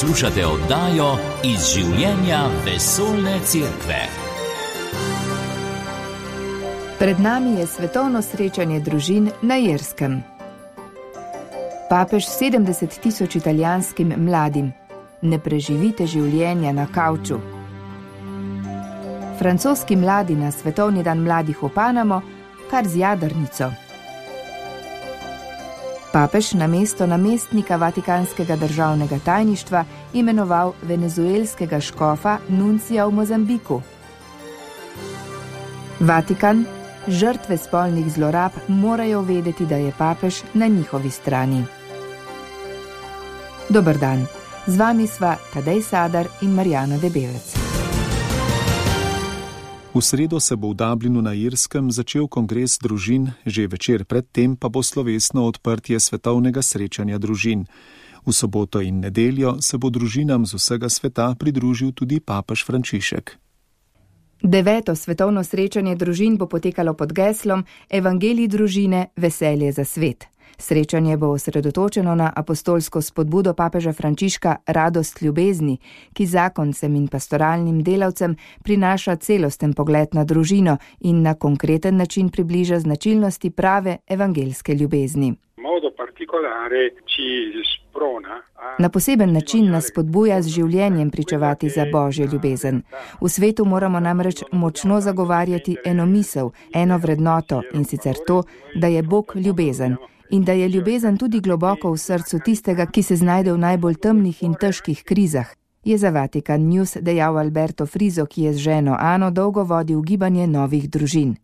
Poslušate oddajo Iz življenja vesoljne cerkve. Pred nami je svetovno srečanje družin na Irskem. Papež 70 000 italijanskim mladim: ne preživite življenja na kavču. Francoski mladi na svetovni dan mladih v Panamo kar z jadrnico. Papež na mesto namestnika Vatikanskega državnega tajništva imenoval venezuelskega škofa nuncija v Mozambiku. Vatikan: žrtve spolnih zlorab morajo vedeti, da je papež na njihovi strani. Dober dan, z vami sva Tadej Sadar in Marjana Debevec. V sredo se bo v Dublinu na Irskem začel kongres družin, že večer predtem pa bo slovesno odprtje svetovnega srečanja družin. V soboto in nedeljo se bo družinam z vsega sveta pridružil tudi papež Frančišek. 9. svetovno srečanje družin bo potekalo pod geslom Evangelij družine, veselje za svet. Srečanje bo osredotočeno na apostolsko spodbudo papeža Frančiška Radost ljubezni, ki zakoncem in pastoralnim delavcem prinaša celosten pogled na družino in na konkreten način približa značilnosti prave evangelske ljubezni. Na poseben način nas spodbuja z življenjem pričevati za Božjo ljubezen. V svetu moramo namreč močno zagovarjati eno misel, eno vrednoto, in sicer to, da je Bog ljubezen. In da je ljubezen tudi globoko v srcu tistega, ki se znajde v najbolj temnih in težkih krizah, je za Vatikan News dejal Alberto Friso, ki je z ženo Ano dolgo vodil gibanje novih družin.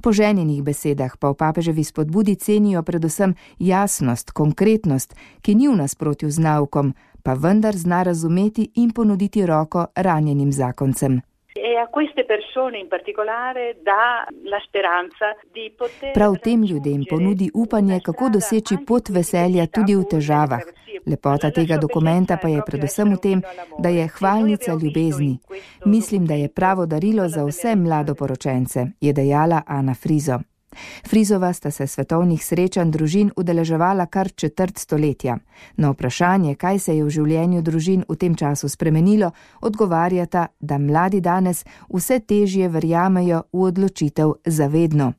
Po ženjenih besedah pa v papeževi spodbudi cenijo predvsem jasnost, konkretnost, ki ni v nasprotju z naukom, pa vendar zna razumeti in ponuditi roko ranjenim zakoncem. Prav tem ljudem ponudi upanje, kako doseči pot veselja tudi v težavah. Lepota tega dokumenta pa je predvsem v tem, da je hvalnica ljubezni. Mislim, da je pravo darilo za vse mladoporočence, je dejala Ana Friso. Frisova sta se svetovnih srečanj družin udeleževala kar četrt stoletja. Na vprašanje, kaj se je v življenju družin v tem času spremenilo, odgovarjata, da mladi danes vse težje verjamejo v odločitev zavedno.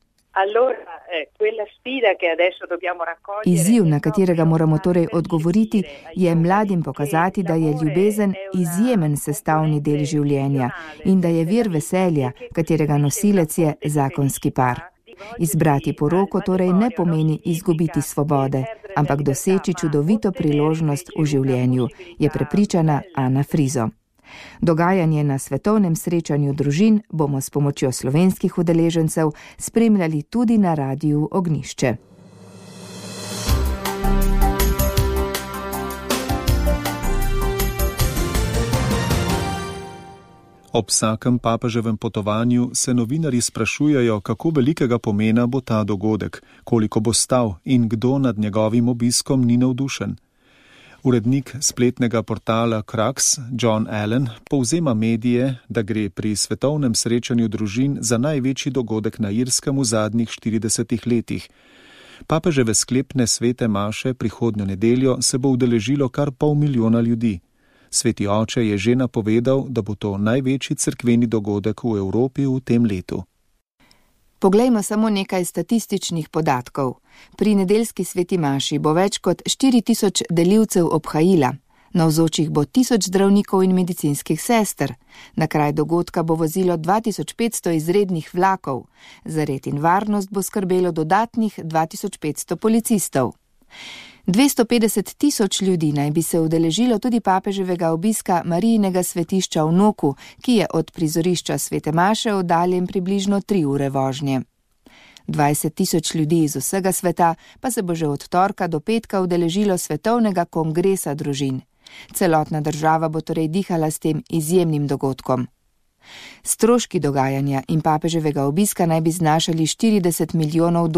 Izziv, na katerega moramo torej odgovoriti, je mladim pokazati, da je ljubezen izjemen sestavni del življenja in da je vir veselja, katerega nosilec je zakonski par. Izbrati poroko torej ne pomeni izgubiti svobode, ampak doseči čudovito priložnost v življenju, je prepričana Ana Friso. Dogajanje na svetovnem srečanju družin bomo s pomočjo slovenskih udeležencev spremljali tudi na Radiu Ognjišče. Ob vsakem papeževem potovanju se novinarji sprašujejo, kako velikega pomena bo ta dogodek, koliko bo stal in kdo nad njegovim obiskom ni navdušen. Urednik spletnega portala Crux, John Allen, povzema medije, da gre pri svetovnem srečanju družin za največji dogodek na Irskem v zadnjih 40 letih. Papeževe sklepne svete maše prihodnjo nedeljo se bo udeležilo kar 500 000 ljudi. Sveti oče je že napovedal, da bo to največji cerkveni dogodek v Evropi v tem letu. Poglejmo samo nekaj statističnih podatkov. Pri nedeljski sveti maši bo več kot 4000 delivcev obhajila, navzočih bo 1000 zdravnikov in medicinskih sester, na kraj dogodka bo vozilo 2500 izrednih vlakov, za red in varnost bo skrbelo dodatnih 2500 policistov. 250 000 ljudi naj bi se udeležilo tudi papeževega obiska Marijinega svetišča v Noku, ki je od prizorišča svete maše oddaljen približno 3 ure vožnje. 20 000 ljudi iz vsega sveta pa se bo že od torka do petka udeležilo svetovnega kongresa družin. Celotna država bo torej dihala s tem izjemnim dogodkom. Stroški dogajanja in papeževega obiska naj bi znašali $40 milijonov.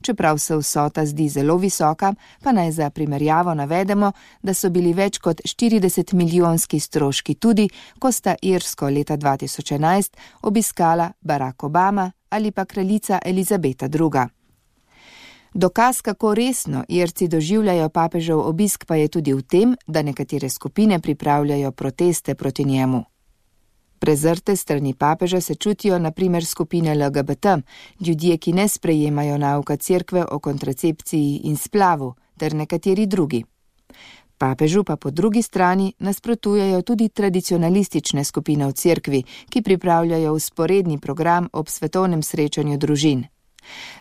Čeprav se vsota zdi zelo visoka, pa naj za primerjavo navedemo, da so bili več kot 40 milijonski stroški tudi, ko sta Irsko leta 2011 obiskala Barack Obama ali pa kraljica Elizabeta II. Dokaz, kako resno Irci doživljajo papežev obisk, pa je tudi v tem, da nekatere skupine pripravljajo proteste proti njemu. Prezrte strani papeža se čutijo na primer skupine LGBT, ljudje, ki ne sprejemajo nauka cerkve o kontracepciji in splavu, ter nekateri drugi. Papežu pa po drugi strani nasprotujejo tudi tradicionalistične skupine v cerkvi, ki pripravljajo vzporedni program ob svetovnem srečanju družin.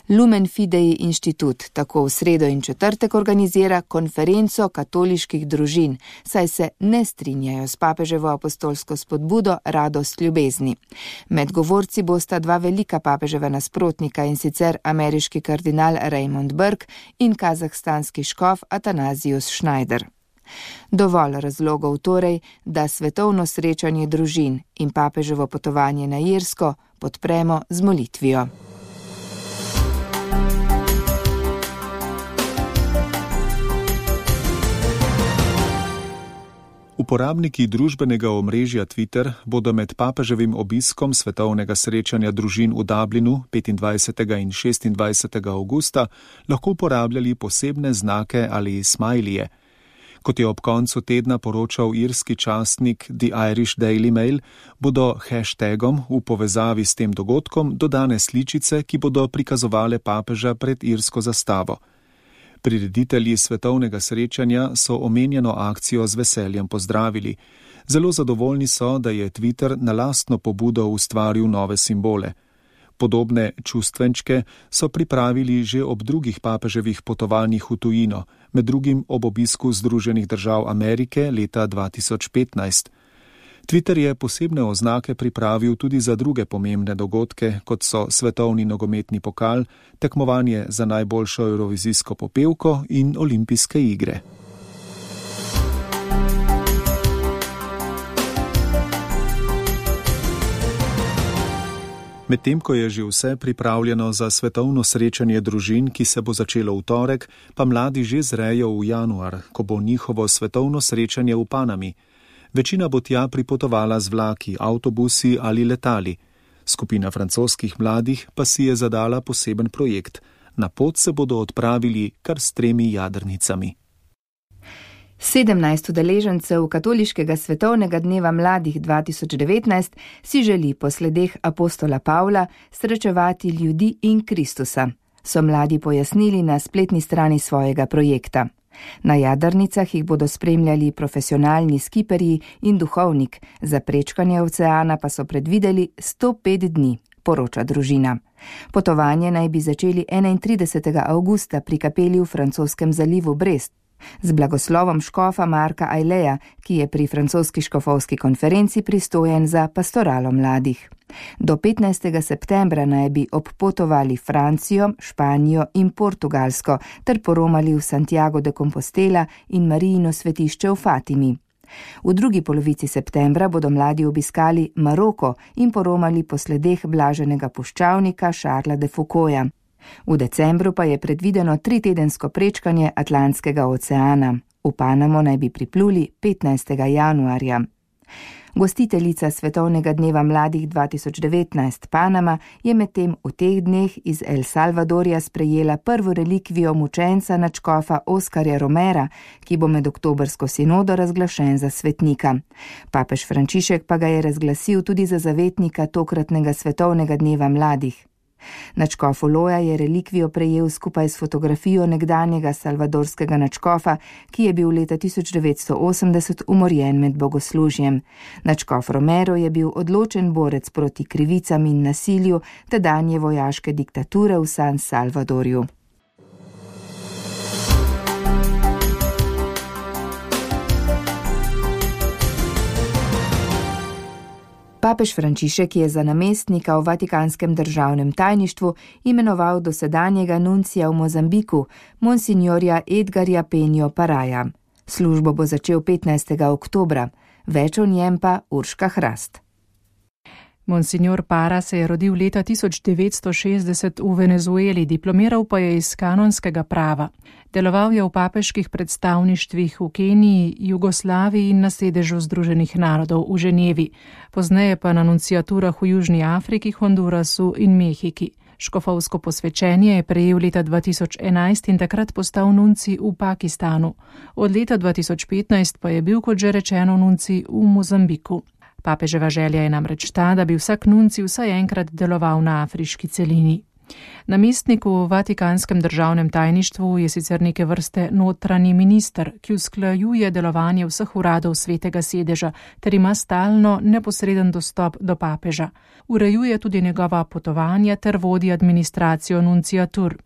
Lumen Fidei inštitut tako v sredo in četrtek organizira konferenco katoliških družin, saj se ne strinjajo s papeževo apostolsko spodbudo Radost ljubezni. Med govorci bosta dva velika papeževa nasprotnika, in sicer ameriški kardinal Raymond Burke in kazahstanski škof Atanazius Schneider. Dovolj razlogov torej, da svetovno srečanje družin in papeževo potovanje na Irsko podpremo z molitvijo. Uporabniki družbenega omrežja Twitter bodo med papeževim obiskom svetovnega srečanja družin v Dublinu 25. in 26. avgusta lahko uporabljali posebne znake ali smajlije. Kot je ob koncu tedna poročal irski časnik The Irish Daily Mail, bodo hashtagom v povezavi s tem dogodkom dodane sličice, ki bodo prikazovale papeža pred irsko zastavo. Prireditelji svetovnega srečanja so omenjeno akcijo z veseljem pozdravili. Zelo zadovoljni so, da je Twitter na lastno pobudo ustvaril nove simbole. Podobne čustvenčke so pripravili že ob drugih papeževih potovanjih v tujino, med drugim ob obisku Združenih držav Amerike leta 2015. Twitter je posebne oznake pripravil tudi za druge pomembne dogodke, kot so svetovni nogometni pokal, tekmovanje za najboljšo evrovizijsko popevko in olimpijske igre. Medtem ko je že vse pripravljeno za svetovno srečanje družin, ki se bo začelo v torek, pa mladi že zrejo v januar, ko bo njihovo svetovno srečanje v Panami. Večina bo tja pripotovala z vlaki, avtobusi ali letali. Skupina francoskih mladih pa si je zadala poseben projekt. Na pot se bodo odpravili kar s 3 jadrnicami. 17 udeležencev Katoliškega svetovnega dneva mladih 2019 si želi po sledeh apostola Pavla srečevati ljudi in Kristusa, so mladi pojasnili na spletni strani svojega projekta. Na jadrnicah jih bodo spremljali profesionalni skiperji in duhovnik, za prečkanje oceana pa so predvideli 105 dni, poroča družina. Potovanje naj bi začeli 31. avgusta pri kapeli v francoskem zalivu Brest, z blagoslovom škofa Marka Aileja, ki je pri francoski škofovski konferenci pristojen za pastoralo mladih. Do 15. septembra naj bi obpotovali Francijo, Španijo in Portugalsko ter poromali v Santiago de Compostela in Marijino svetišče v Fatimi. V drugi polovici septembra bodo mladi obiskali Maroko in poromali po sledeh blaženega puščavnika Charlesa de Foucaulta. V decembru pa je predvideno 3-tedensko prečkanje Atlantskega oceana. V Panamo naj bi pripluli 15. januarja. Gostiteljica Svetovnega dneva mladih 2019 Panama je medtem v teh dneh iz El Salvadorja sprejela prvo relikvijo mučenca nadškofa Oskarja Romera, ki bo med oktobrsko sinodo razglašen za svetnika. Papež Frančišek pa ga je razglasil tudi za zavetnika tokratnega Svetovnega dneva mladih. Nadškof Uloja je relikvijo prejel skupaj s fotografijo nekdanjega salvadorskega nadškofa, ki je bil leta 1980 umorjen med bogoslužjem. Nadškof Romero je bil odločen borec proti krivicam in nasilju tedanje vojaške diktature v San Salvadorju. Papež Frančišek je za namestnika v Vatikanskem državnem tajništvu imenoval dosedanjega nuncija v Mozambiku, monsignorja Edgarja Penjo Paraja. Službo bo začel 15. oktobra, več o njem pa Urška Hrast. Monsignor Para se je rodil leta 1960 v Venezueli, diplomiral pa je iz kanonskega prava. Deloval je v papeških predstavništvih v Keniji, Jugoslaviji in na sedežu Združenih narodov v Ženevi, pozneje pa na nunciaturah v Južni Afriki, Hondurasu in Mehiki. Škofovsko posvečenje je prejel leta 2011 in takrat postal nuncij v Pakistanu. Od leta 2015 pa je bil, kot že rečeno, nuncij v Mozambiku. Papeževa želja je namreč ta, da bi vsak nuncij vsaj enkrat deloval na afriški celini. Namestnik v Vatikanskem državnem tajništvu je sicer neke vrste notranji minister, ki usklajuje delovanje vseh uradov Svetega sedeža ter ima stalno neposreden dostop do papeža. Urejuje tudi njegova potovanja ter vodi administracijo nunciatur.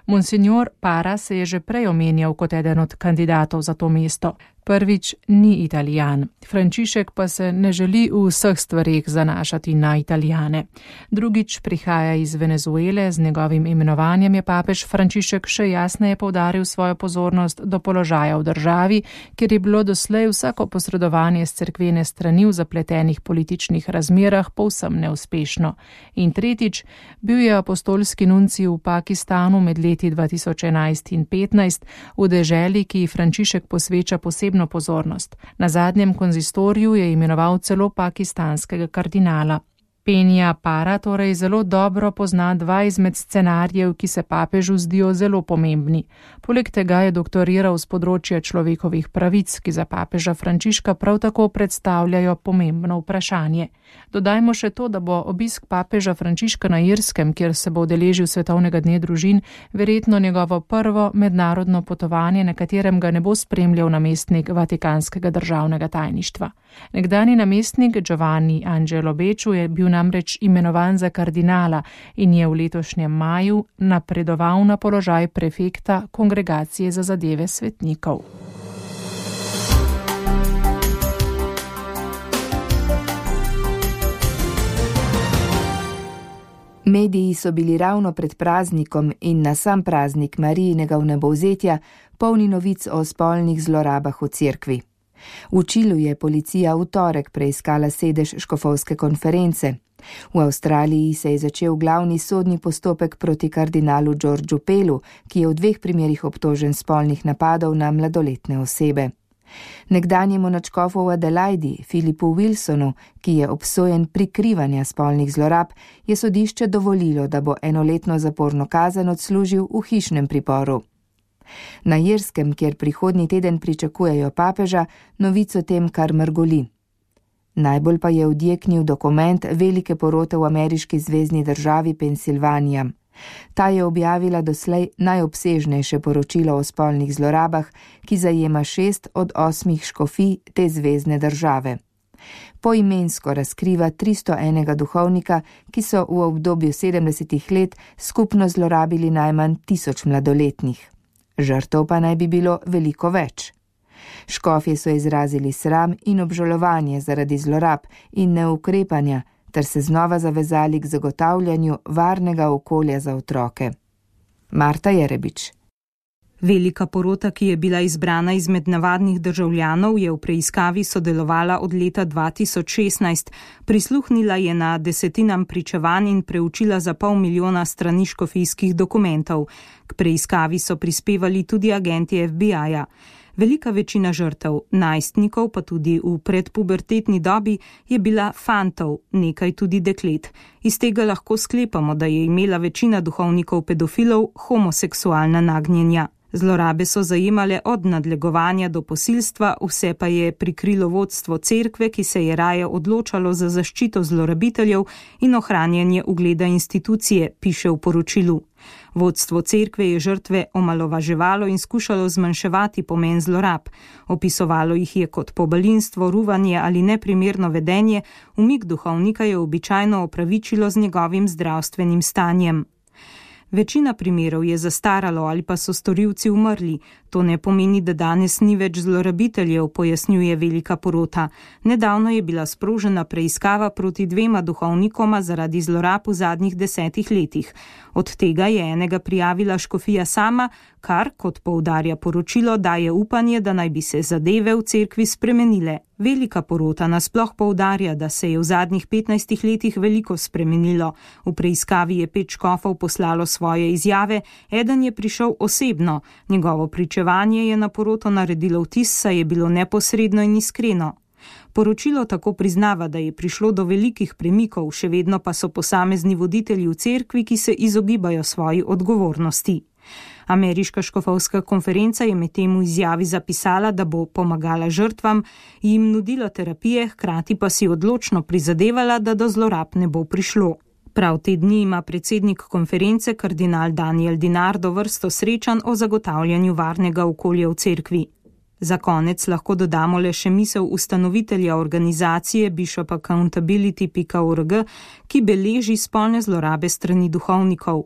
Monsignor Para se je že prej omenjal kot eden od kandidatov za to mesto. Prvič, ni Italijan. Frančišek pa se ne želi v vseh stvareh zanašati na Italijane. Drugič, prihaja iz Venezuele, z njegovim imenovanjem je papež Frančišek še jasneje poudaril svojo pozornost do položaja v državi, kjer je bilo doslej vsako posredovanje s cerkvene strani v zapletenih političnih razmerah povsem neuspešno. In tretjič, bil je apostolski nuncij v Pakistanu med leti 2011 in 2015 v deželi, ki ji Frančišek posveča posebno pozornost. Na zadnjem konzistoriju je imenoval celo pakistanskega kardinala. Penja Para torej zelo dobro pozna dva izmed scenarijev, ki se papežu zdijo zelo pomembni. Poleg tega je doktoriral z področja človekovih pravic, ki za papeža Frančiška prav tako predstavljajo pomembno vprašanje. Dodajmo še to, da bo obisk papeža Frančiška na Irskem, kjer se bo udeležil Svetovnega dne družin, verjetno njegovo prvo mednarodno potovanje, na katerem ga ne bo spremljal namestnik Vatikanskega državnega tajništva. Nekdani namestnik Giovanni Angelo Becciu je bil namreč imenovan za kardinala in je v letošnjem maju napredoval na položaj prefekta Kongregacije za zadeve svetnikov. Mediji so bili ravno pred praznikom in na sam praznik Marijinega vnebovzetja polni novic o spolnih zlorabah v cerkvi. V Čilu je policija v torek preiskala sedež škofovske konference. V Avstraliji se je začel glavni sodni postopek proti kardinalu Georgeu Pellu, ki je v 2 primerih obtožen spolnih napadov na mladoletne osebe. Nekdanjemu nadškofu v Adelaidi, Philipu Wilsonu, ki je obsojen prikrivanja spolnih zlorab, je sodišče dovolilo, da bo 1-letno zaporno kazen odslužil v hišnem priporu. Na Irskem, kjer prihodnji teden pričakujejo papeža, novic o tem kar mrgoli. Najbolj pa je odjeknil dokument velike porote v ameriški zvezni državi Pensilvanija. Ta je objavila doslej najobsežnejše poročilo o spolnih zlorabah, ki zajema 6 od 8 škofij te zvezne države. Poimensko razkriva 301 duhovnika, ki so v obdobju 70 let skupno zlorabili najmanj 1000 mladoletnih. Žrtev pa naj bi bilo veliko več. Škofje so izrazili sram in obžalovanje zaradi zlorab in neukrepanja, ter se znova zavezali k zagotavljanju varnega okolja za otroke. Marta Jerebič. Velika porota, ki je bila izbrana izmed navadnih državljanov, je v preiskavi sodelovala od leta 2016. Prisluhnila je na desetinam pričevanj in preučila za 500 000 strani škofijskih dokumentov. K preiskavi so prispevali tudi agenti FBI-ja. Velika večina žrtev, najstnikov pa tudi v predpubertetni dobi, je bila fantov, nekaj tudi deklet. Iz tega lahko sklepamo, da je imela večina duhovnikov pedofilov homoseksualna nagnjenja. Zlorabe so zajemale od nadlegovanja do posilstva, vse pa je prikrilo vodstvo cerkve, ki se je raje odločalo za zaščito zlorabiteljev in ohranjanje ugleda institucije, piše v poročilu. Vodstvo cerkve je žrtve omalovaževalo in skušalo zmanjševati pomen zlorab. Opisovalo jih je kot pobalinstvo, ruvanje ali neprimerno vedenje, umik duhovnika je običajno opravičilo z njegovim zdravstvenim stanjem. Večina primerov je zastaralo ali pa so storilci umrli. To ne pomeni, da danes ni več zlorabiteljev, pojasnjuje velika porota. Nedavno je bila sprožena preiskava proti 2 duhovnikoma zaradi zlorab v zadnjih 10 letih. Od tega je enega prijavila škofija sama, kar, kot poudarja poročilo, daje upanje, da naj bi se zadeve v cerkvi spremenile. Velika porota nasploh poudarja, da se je v zadnjih 15 letih veliko spremenilo. V preiskavi je 5 škofov poslalo svoje izjave, eden je prišel osebno. Njegovo pričevanje je na poroto naredilo vtis, saj je bilo neposredno in iskreno. Poročilo tako priznava, da je prišlo do velikih premikov, še vedno pa so posamezni voditelji v cerkvi, ki se izogibajo svoji odgovornosti. Ameriška škofovska konferenca je medtem v izjavi zapisala, da bo pomagala žrtvam, jim nudila terapije, hkrati pa si odločno prizadevala, da do zlorab ne bo prišlo. Prav te dni ima predsednik konference kardinal Daniel DiNardo vrsto srečanj o zagotavljanju varnega okolja v cerkvi. Za konec lahko dodamo le še misel ustanovitelja organizacije bishopaccountability.org, ki beleži spolne zlorabe strani duhovnikov.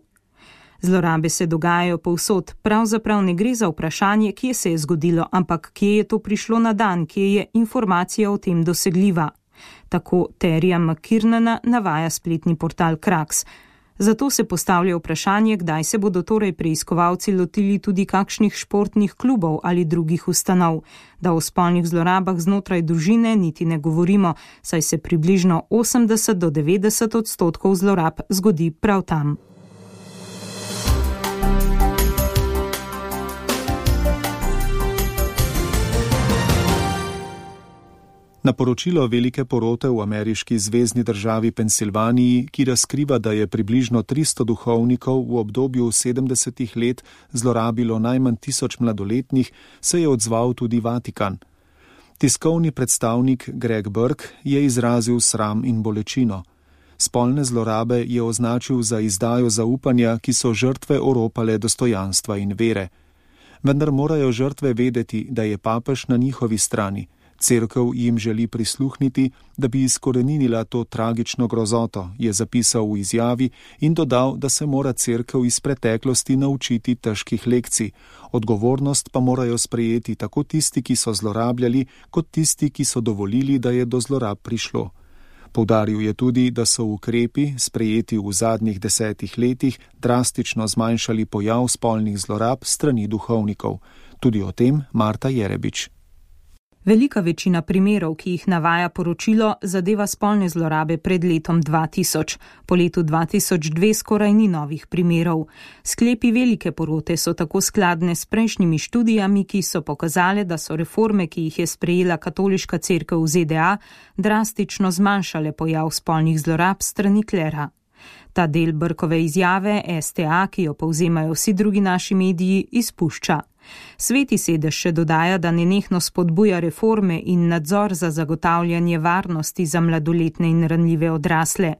Zlorabe se dogajajo povsod, pravzaprav ne gre za vprašanje, kje se je zgodilo, ampak kje je to prišlo na dan, kje je informacija o tem dosegljiva. Tako Terija McKiernana navaja spletni portal Krax. Zato se postavlja vprašanje, kdaj se bodo torej preiskovalci lotili tudi kakšnih športnih klubov ali drugih ustanov. Da o spolnih zlorabah znotraj družine niti ne govorimo, saj se približno 80 do 90% zlorab zgodi prav tam. Na poročilo velike porote v ameriški zvezni državi Pensilvaniji, ki razkriva, da je približno 300 duhovnikov v obdobju 70 let zlorabilo najmanj 1000 mladoletnih, se je odzval tudi Vatikan. Tiskovni predstavnik Greg Burke je izrazil sram in bolečino. Spolne zlorabe je označil za izdajo zaupanja, ki so žrtve oropale dostojanstva in vere. Vendar morajo žrtve vedeti, da je papež na njihovi strani. Cerkev jim želi prisluhniti, da bi izkoreninila to tragično grozoto, je zapisal v izjavi in dodal, da se mora cerkev iz preteklosti naučiti težkih lekcij. Odgovornost pa morajo sprejeti tako tisti, ki so zlorabljali, kot tisti, ki so dovolili, da je do zlorab prišlo. Poudaril je tudi, da so ukrepi, sprejeti v zadnjih 10 letih, drastično zmanjšali pojav spolnih zlorab strani duhovnikov. Tudi o tem Marta Jerebič. Velika večina primerov, ki jih navaja poročilo, zadeva spolne zlorabe pred letom 2000. Po letu 2002 skoraj ni novih primerov. Sklepi velike porote so tako skladne s prejšnjimi študijami, ki so pokazale, da so reforme, ki jih je sprejela katoliška cerkev v ZDA, drastično zmanjšale pojav spolnih zlorab strani klera. Ta del Burkove izjave STA, ki jo povzemajo vsi drugi naši mediji, izpušča. Sveti sedež še dodaja, da nenehno spodbuja reforme in nadzor za zagotavljanje varnosti za mladoletne in ranljive odrasle.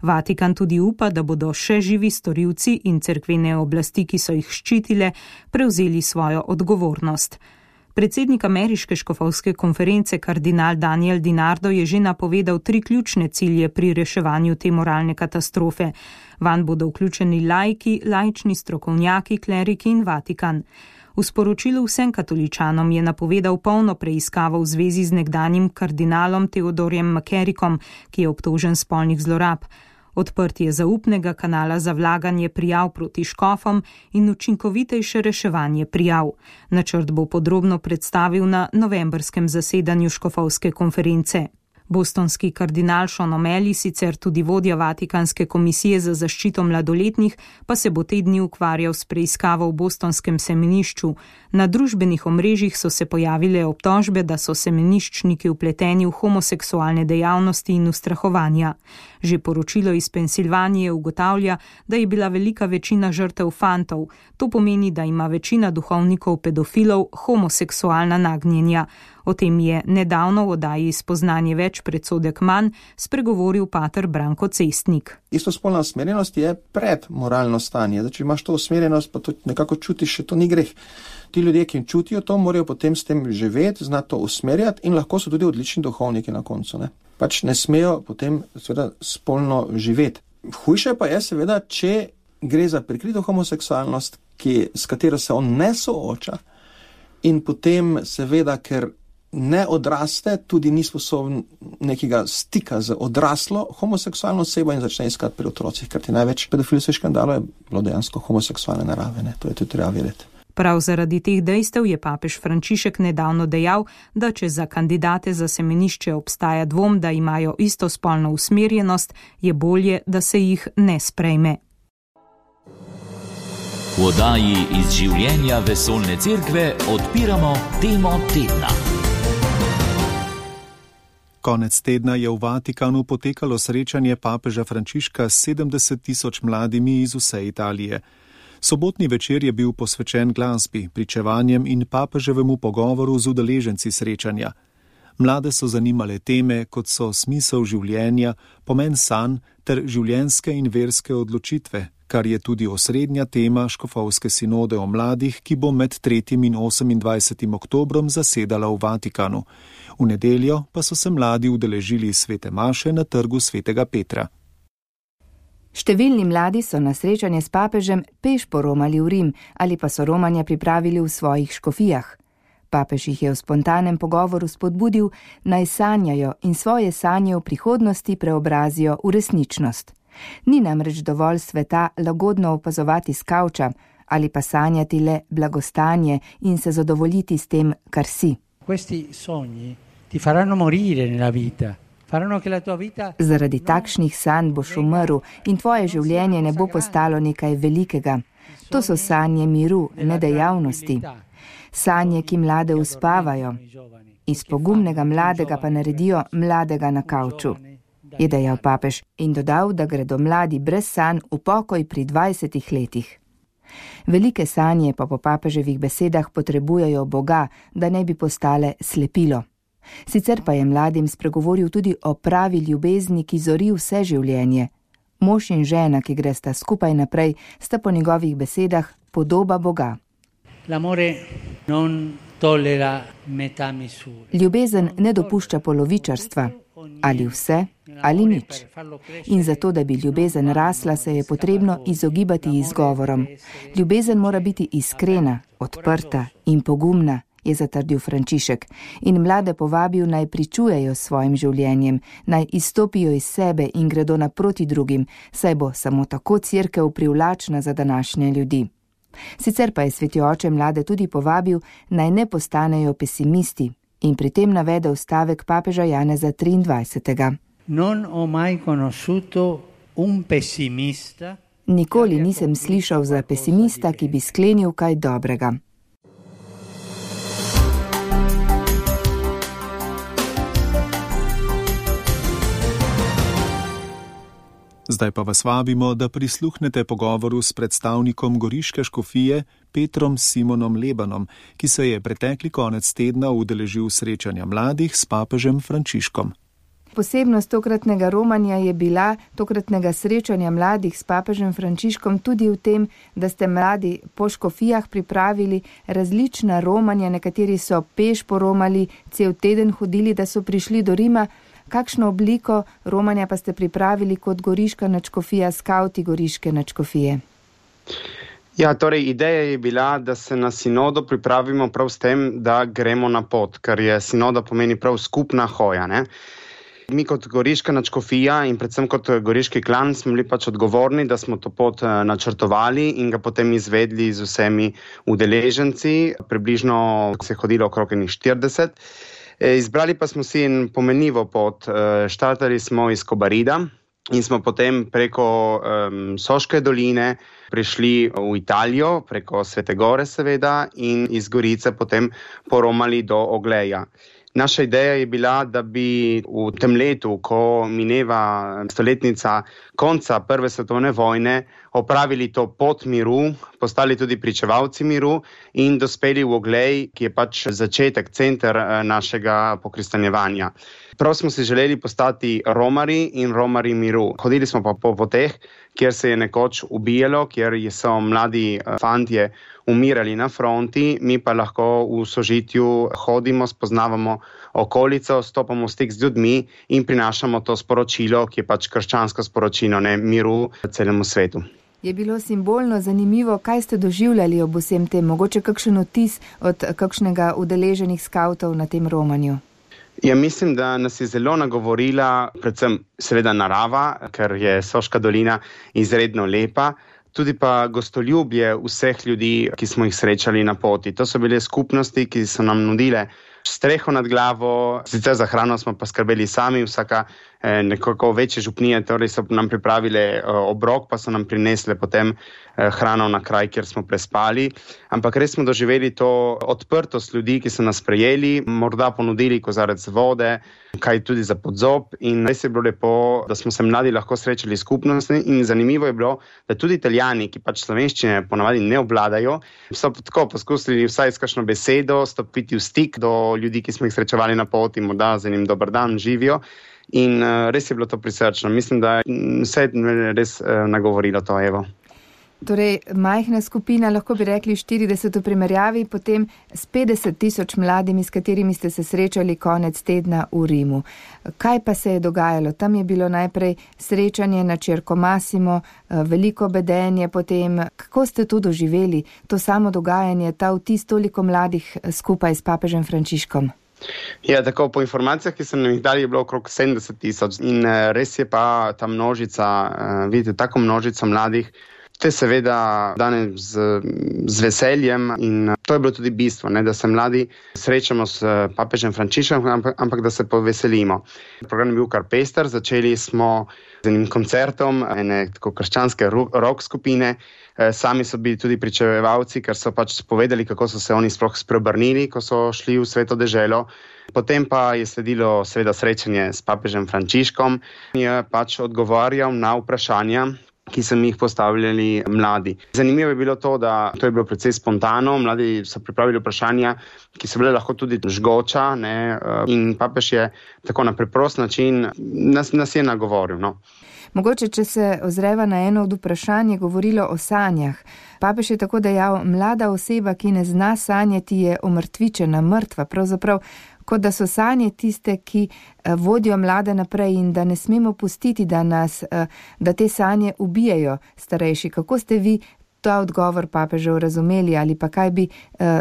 Vatikan tudi upa, da bodo še živi storilci in cerkvene oblasti, ki so jih ščitile, prevzeli svojo odgovornost. Predsednik ameriške škofovske konference kardinal Daniel DiNardo je že napovedal 3 ključne cilje pri reševanju te moralne katastrofe. Vanj bodo vključeni laiki, laični strokovnjaki, kleriki in Vatikan. V sporočilu vsem katoličanom je napovedal polno preiskavo v zvezi z nekdanjim kardinalom Theodorjem McCarrickom, ki je obtožen spolnih zlorab. Odprtje zaupnega kanala za vlaganje prijav proti škofom in učinkovitejše reševanje prijav. Načrt bo podrobno predstavil na novembrskem zasedanju škofovske konference. Bostonski kardinal Sean O'Malley, sicer tudi vodja Vatikanske komisije za zaščito mladoletnih, pa se bo te dni ukvarjal s preiskavo v bostonskem semenišču. Na družbenih omrežjih so se pojavile obtožbe, da so semeniščniki vpleteni v homoseksualne dejavnosti in ustrahovanja. Že poročilo iz Pensilvanije ugotavlja, da je bila velika večina žrtev fantov. To pomeni, da ima večina duhovnikov pedofilov homoseksualna nagnjenja. O tem je nedavno v oddaji Spoznanje več, predsodek manj spregovoril pater Branko Cestnik. Istospolna usmerjenost je predmoralno stanje. Če imaš to usmerjenost, pa to nekako čutiš, še to ni greh. Ti ljudje, ki čutijo to, morajo potem s tem živeti, znati to usmerjati in lahko so tudi odlični duhovniki na koncu. Pač ne smejo potem seveda spolno živeti. Hujše pa je seveda, če gre za prikrito homoseksualnost, s katero se on ne sooča in potem seveda, ker ne odraste, tudi ni sposoben nekega stika z odraslo homoseksualno osebo in začne iskati pri otrocih, ker ti največ pedofilskih škandalov je bilo dejansko homoseksualne narave, to je tudi treba vedeti. Prav zaradi teh dejstev je papež Frančišek nedavno dejal, da če za kandidate za semenišče obstaja dvom, da imajo istospolno usmerjenost, je bolje, da se jih ne sprejme. V oddaji Iz življenja vesoljne cerkve odpiramo temo tedna. Konec tedna je v Vatikanu potekalo srečanje papeža Frančiška s 70 tisoč mladimi iz vse Italije. Sobotni večer je bil posvečen glasbi, pričevanjem in papeževemu pogovoru z udeleženci srečanja. Mlade so zanimale teme, kot so smisel življenja, pomen sanj ter življenjske in verske odločitve, kar je tudi osrednja tema škofovske sinode o mladih, ki bo med 3. in 28. oktobrom zasedala v Vatikanu. V nedeljo pa so se mladi udeležili svete maše na trgu svetega Petra. Številni mladi so na srečanje s papežem peš poromali v Rim ali pa so romanja pripravili v svojih škofijah. Papež jih je v spontanem pogovoru spodbudil, naj sanjajo in svoje sanje v prihodnosti preobrazijo v resničnost. Ni namreč dovolj sveta lagodno opazovati s kavča ali pa sanjati le blagostanje in se zadovoljiti s tem, kar si. Questi sogni ti faranno morire nella vita. Zaradi takšnih sanj boš umrl in tvoje življenje ne bo postalo nekaj velikega. To so sanje miru, ne dejavnosti. Sanje, ki mlade uspavajo. Iz pogumnega mladega pa naredijo mladega na kavču, je dejal papež in dodal, da gredo mladi brez sanj v pokoj pri 20 letih. Velike sanje pa po papeževih besedah potrebujejo Boga, da ne bi postale slepilo. Sicer pa je mladim spregovoril tudi o pravi ljubezni, ki zori vse življenje. Mož in žena, ki gresta skupaj naprej, sta po njegovih besedah podoba Boga. Ljubezen ne dopušča polovičarstva, ali vse, ali nič. In zato, da bi ljubezen rasla, se je potrebno izogibati izgovorom. Ljubezen mora biti iskrena, odprta in pogumna, je zatrdil Frančišek in mlade povabil, naj pričujejo s svojim življenjem, naj izstopijo iz sebe in gredo naproti drugim, saj bo samo tako cerkev privlačna za današnje ljudi. Sicer pa je sveti oče mlade tudi povabil, naj ne postanejo pesimisti in pri tem navedel stavek papeža Janeza 23. Nikoli nisem slišal za pesimista, ki bi sklenil kaj dobrega. Zdaj pa vas vabimo, da prisluhnete pogovoru s predstavnikom goriške škofije Petrom Simonom Lebanom, ki se je pretekli konec tedna udeležil srečanja mladih s papežem Frančiškom. Posebnost tokratnega romanja je bila, tokratnega srečanja mladih s papežem Frančiškom, tudi v tem, da ste mladi po škofijah pripravili različna romanja, nekateri so peš poromali, cel teden hodili, da so prišli do Rima. Kakšno obliko romanja pa ste pripravili kot goriška nadškofija, skavti goriške nadškofije? Ja, torej ideja je bila, da se na sinodo pripravimo prav s tem, da gremo na pot, ker je sinoda pomeni prav skupna hoja, ne? Mi kot goriška nadškofija in predvsem kot goriški klan smo bili pač odgovorni, da smo to pot načrtovali in ga potem izvedli z vsemi udeleženci. Približno se je hodilo okrog 40. Izbrali pa smo si en pomenljivo pot. Štartali smo iz Kobarida in smo potem preko Soške doline prišli v Italijo, preko Svete Gore seveda, in iz Gorice potem poromali do Ogleja. Naša ideja je bila, da bi v tem letu, ko mineva stoletnica konca Prve svetovne vojne, opravili to pot miru, postali tudi pričevalci miru in dospeli v Oglej, ki je pač začetek, center našega pokristanjevanja. Prav smo si želeli postati romari in romari miru. Hodili smo pa po poteh, kjer se je nekoč ubijalo, kjer so mladi fantje umirali na fronti, mi pa lahko v sožitju hodimo, spoznavamo okolico, stopamo v stik z ljudmi in prinašamo to sporočilo, ki je pač krščansko sporočilo, ne, miru celemu svetu. Je bilo simbolno zanimivo, kaj ste doživljali ob vsem tem, mogoče kakšen vtis od kakšnega udeleženih skavtov na tem romanju? Ja, mislim, da nas je zelo nagovorila predvsem seveda narava, ker je Soška dolina izredno lepa, tudi pa gostoljubje vseh ljudi, ki smo jih srečali na poti. To so bile skupnosti, ki so nam nudile streho nad glavo, sicer za hrano smo pa skrbeli sami, vsaka nekako večje župnije, torej so nam pripravile obrok, pa so nam prinesle potem hrano na kraj, kjer smo prespali. Ampak res smo doživeli to odprtost ljudi, ki so nas sprejeli, morda ponudili kozarec vode, kaj tudi za podzob, in res je bilo lepo, da smo se mladi lahko srečali skupnosti, in zanimivo je bilo, da tudi Italijani, ki pač slovenščine ponavadi ne obvladajo, so tako poskusili vsaj s kakšno besedo stopiti v stik do ljudi, ki smo jih srečevali na poti, morda z enim dober dan živijo. In res je bilo to prisrčno. Mislim, da vse je res nagovorilo to, evo. Torej, majhna skupina, lahko bi rekli 40 v primerjavi, potem s 50 000 mladimi, s katerimi ste se srečali konec tedna v Rimu. Kaj pa se je dogajalo? Tam je bilo najprej srečanje na Circo Massimo, veliko bedenje potem. Kako ste to doživeli, to samo dogajanje, ta vtis toliko mladih skupaj s papežem Frančiškom? Ja, tako po informacijah, ki sem jih dali, je bilo okrog 70 000 in res je pa ta množica, vidite, tako množica mladih, to je seveda danes z veseljem in to je bilo tudi bistvo, ne, da se mladi srečamo s papežem Frančiškom, ampak da se poveselimo. Program je bil kar pester, začeli smo z enim koncertom ene tako krščanske rock skupine. Sami so bili tudi pričevalci, ker so pač povedali, kako so se oni sploh spreobrnili, ko so šli v sveto deželo. Potem pa je sledilo seveda srečanje s papežem Frančiškom in je pač odgovarjal na vprašanja, ki so mi jih postavljali mladi. Zanimivo je bilo to, da to je bilo precej spontano, mladi so pripravili vprašanja, ki so bile lahko tudi žgoča, ne, in papež je tako na preprost način nas je nagovoril, no. Mogoče, če se ozreva na eno od vprašanj, je govorilo o sanjah. Papež je tako dejal, mlada oseba, ki ne zna sanjati, je omrtvičena, mrtva, pravzaprav, kot da so sanje tiste, ki vodijo mlade naprej in da ne smemo pustiti, da te sanje ubijajo starejši. Kako ste vi ta odgovor papežev razumeli ali pa kaj bi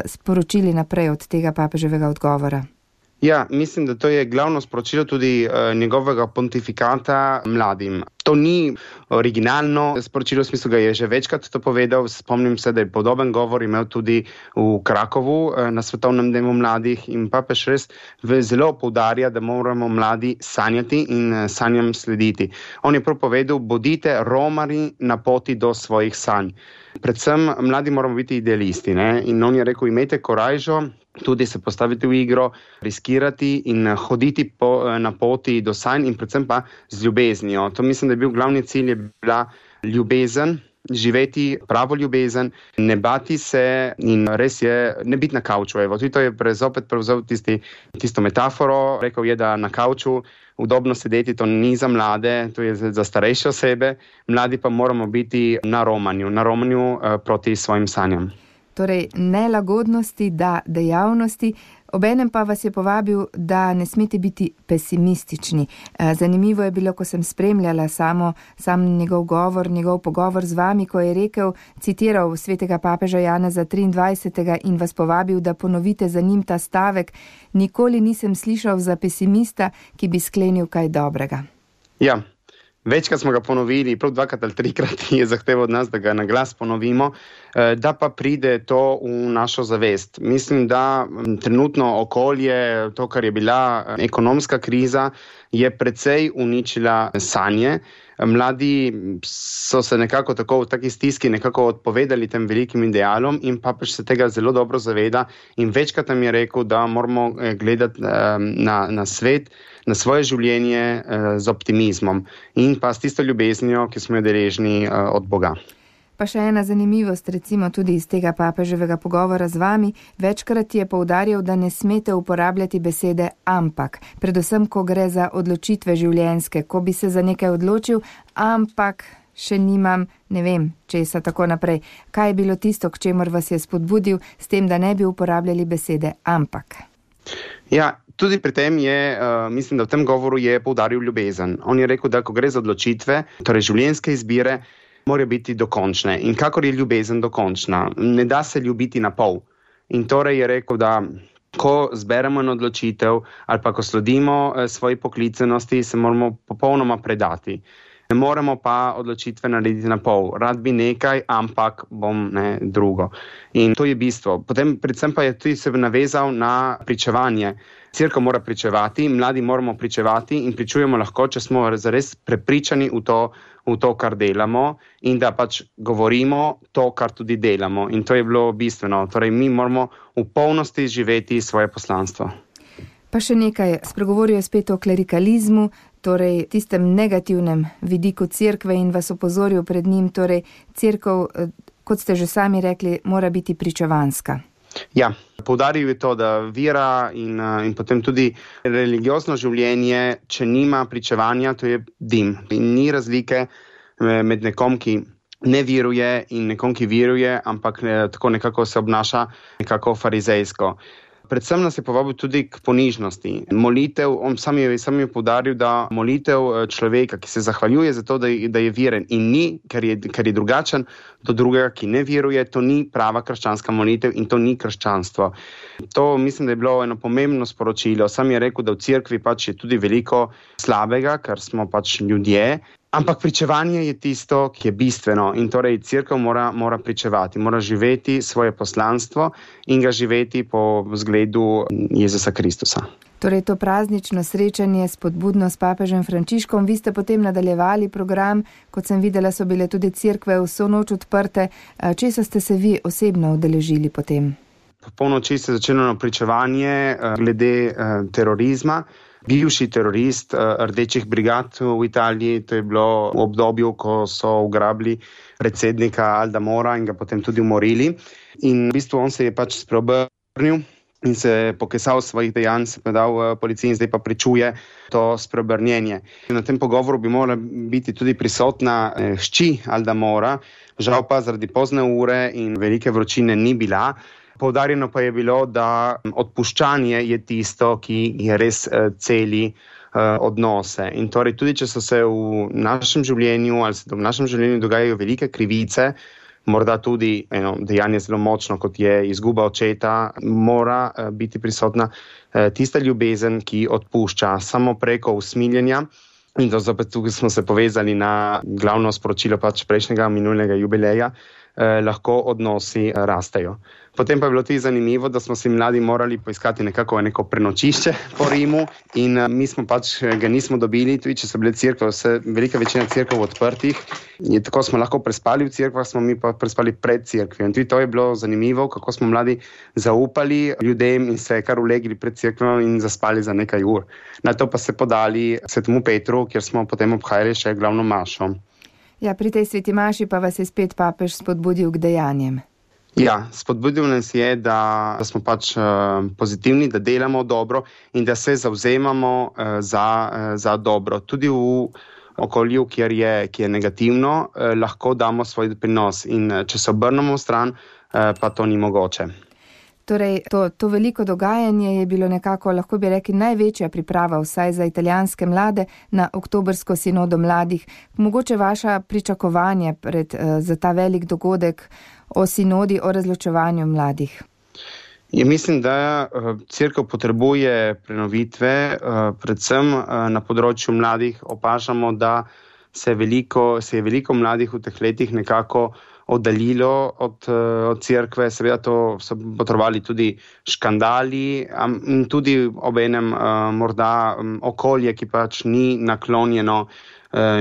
sporočili naprej od tega papeževega odgovora? Ja, mislim, da to je glavno sporočilo tudi njegovega pontifikata mladim. To ni originalno sporočilo, v smislu ga je že večkrat to povedal. Spomnim se, da je podoben govor imel tudi v Krakovu na Svetovnem dnevu mladih in papež res zelo poudarja, da moramo mladi sanjati in sanjam slediti. On je prav povedal, bodite romarji na poti do svojih sanj. Predvsem mladi moramo biti idealisti, ne? In on je rekel, imejte korajžo, tudi se postaviti v igro, riskirati in hoditi na poti do sanj in predvsem pa z ljubeznijo. To mislim, da je bil glavni cilj, je bila ljubezen, živeti pravo ljubezen, ne bati se in res je ne biti na kavču. Evo, tudi to je zopet prevzel tisto metaforo, rekel je, da na kavču udobno sedeti, to ni za mlade, to je za starejše osebe, mladi pa moramo biti na romanju proti svojim sanjam. Torej, nelagodnosti, da dejavnosti, obenem pa vas je povabil, da ne smete biti pesimistični. Zanimivo je bilo, ko sem spremljala sam njegov govor, njegov pogovor z vami, ko je rekel, citiral svetega papeža Janeza 23. in vas povabil, da ponovite za njim ta stavek, nikoli nisem slišal za pesimista, ki bi sklenil kaj dobrega. Ja. Večkrat smo ga ponovili, prav 2 ali 3 je zahteval od nas, da ga na glas ponovimo, da pa pride to v našo zavest. Mislim, da trenutno okolje, to, kar je bila ekonomska kriza, je precej uničila sanje. Mladi so se nekako tako v taki stiski nekako odpovedali tem velikim idealom in papež se tega zelo dobro zaveda in večkrat nam je rekel, da moramo gledati na svet, na svoje življenje z optimizmom in pa s tisto ljubeznijo, ki smo jo deležni od Boga. Pa še ena zanimivost, recimo tudi iz tega papeževega pogovora z vami, večkrat je poudarjal, da ne smete uporabljati besede ampak, predvsem, ko gre za odločitve življenjske, ko bi se za nekaj odločil, ampak še nimam, ne vem, česa tako naprej. Kaj je bilo tisto, k čemur vas je spodbudil s tem, da ne bi uporabljali besede ampak? Ja, tudi pri tem je, mislim, da v tem govoru je poudaril ljubezen. On je rekel, da ko gre za odločitve, torej življenjske izbire, morajo biti dokončne. In kakor je ljubezen dokončna, ne da se ljubiti na pol. In torej je rekel, da ko zberemo eno odločitev ali pa ko sledimo svoji poklicenosti, se moramo popolnoma predati. Ne moremo pa odločitve narediti na pol. Rad bi nekaj, ampak bom drugo. In to je bistvo. Potem predvsem pa je tudi se navezal na pričevanje. Cerkev mora pričevati, mladi moramo pričevati in pričujemo lahko, če smo zares prepričani v to, kar delamo in da pač govorimo to, kar tudi delamo. In to je bilo bistveno. Torej, mi moramo v polnosti živeti svoje poslanstvo. Pa še nekaj, spregovoril je spet o klerikalizmu, torej tistem negativnem vidiku cerkve in vas opozoril pred njim, torej cerkev, kot ste že sami rekli, mora biti pričevanska. Ja, poudaril je to, da vera in potem tudi religiozno življenje, če nima pričevanja, to je dim. In ni razlike med nekom, ki ne veruje in nekom, ki veruje, ampak tako nekako se obnaša nekako farizejsko. Predvsem nas je povabil tudi k ponižnosti. Molitev, on sam je poudaril, da molitev človeka, ki se zahvaljuje za to, da je veren in ni, ker je drugačen do drugega, ki ne veruje, to ni prava krščanska molitev in to ni krščanstvo. To mislim, da je bilo eno pomembno sporočilo. Sam je rekel, da v cerkvi pač je tudi veliko slabega, ker smo pač ljudje. Ampak pričevanje je tisto, ki je bistveno in torej cerkev mora pričevati, mora živeti svoje poslanstvo in ga živeti po zgledu Jezusa Kristusa. Torej to praznično srečanje spodbudno s papežem Frančiškom, vi ste potem nadaljevali program, kot sem videla, so bile tudi cerkve vso noč odprte. Česa ste se vi osebno udeležili potem? Po polnoči se je začelo pričevanje glede terorizma. Bivši terorist rdečih brigad v Italiji, to je bilo v obdobju, ko so ugrabili predsednika Alda Mora in ga potem tudi umorili. In v bistvu on se je pač spreobrnil in se pokesal svojih dejanj, se predal policiji in zdaj pa pričuje to spreobrnjenje. Na tem pogovoru bi morala biti tudi prisotna hči Alda Mora, žal pa zaradi pozne ure in velike vročine ni bila. Poudarjeno pa je bilo, da odpuščanje je tisto, ki je res celi odnose. In torej tudi, če so se v našem življenju ali se v našem življenju dogajajo velike krivice, morda tudi dejanje zelo močno, kot je izguba očeta, mora biti prisotna tista ljubezen, ki odpušča samo preko usmiljenja. In to zopet tukaj smo se povezali na glavno sporočilo pač prejšnjega minulega jubileja, lahko odnosi rastejo. Potem pa je bilo tudi zanimivo, da smo si mladi morali poiskati neko prenočišče po Rimu in mi smo pač ga nismo dobili, tudi če so bile cerkve, velika večina cerkev odprtih. In tako smo lahko prespali v cerkvah, smo mi pa prespali pred cerkvijo. In tudi to je bilo zanimivo, kako smo mladi zaupali ljudem in se kar ulegli pred cerkvijo in zaspali za nekaj ur. Na to pa se podali Svetemu Petru, kjer smo potem obhajali še glavno mašo. Ja, pri tej sveti maši pa vas je spet papež spodbudil k dejanjem. Ja, spodbudil nas je, da smo pač pozitivni, da delamo dobro in da se zavzemamo za dobro. Tudi v okolju, ki je negativno, lahko damo svoj doprinos in če se obrnemo v stran, pa to ni mogoče. Torej, to veliko dogajanje je bilo nekako, lahko bi rekli, največja priprava vsaj za italijanske mlade na oktobrsko sinodo mladih. Mogoče vaša pričakovanje za ta velik dogodek o sinodi, o razločevanju mladih? Ja, mislim, da cerkev potrebuje prenovitve, predvsem na področju mladih. Opažamo, da se je veliko mladih v teh letih nekako oddaljilo od cerkve, seveda to so potrebovali tudi škandali in tudi obenem morda okolje, ki pač ni naklonjeno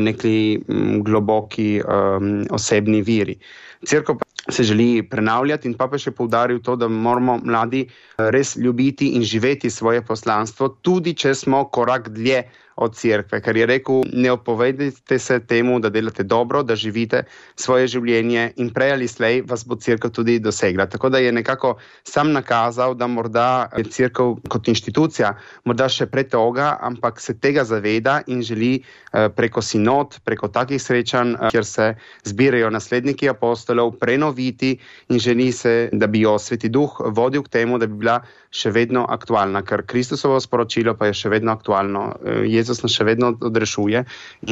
neki globoki osebni veri. Cerkev se želi prenavljati in papež je poudaril to, da moramo mladi res ljubiti in živeti svoje poslanstvo, tudi če smo korak dlje od cerkve, ker je rekel, ne opovedajte se temu, da delate dobro, da živite svoje življenje in prej ali slej vas bo cerkev tudi dosegla. Tako da je nekako sam nakazal, da morda je cerkev kot inštitucija morda še pretoga, ampak se tega zaveda in želi preko sinod, preko takih srečanj, kjer se zbirajo nasledniki apostolov, prenoviti in želi se, da bi jo Sveti Duh vodil k temu, da bi bila še vedno aktualna, ker Kristusovo sporočilo pa je še vedno aktualno. Jezus nas še vedno odrešuje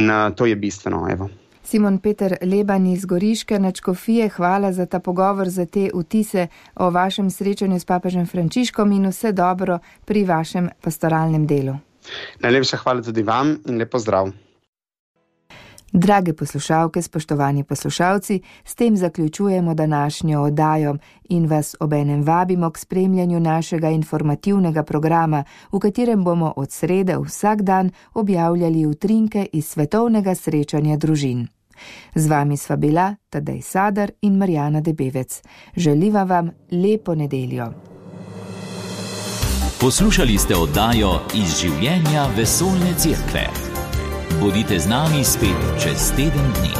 in to je bistveno. Evo. Simon Peter Leban iz Goriške nadškofije, hvala za ta pogovor, za te vtise o vašem srečanju s papežem Frančiškom in vse dobro pri vašem pastoralnem delu. Najlepša hvala tudi vam in lep pozdrav. Drage poslušalke, spoštovani poslušalci, s tem zaključujemo današnjo oddajo in vas obenem vabimo k spremljanju našega informativnega programa, v katerem bomo od srede vsak dan objavljali utrinke iz svetovnega srečanja družin. Z vami sva bila Tadej Sadar in Marjana Debevec. Želiva vam lepo nedeljo. Poslušali ste oddajo Iz življenja vesoljne cerkve. Bodite z nami spet čez teden dni.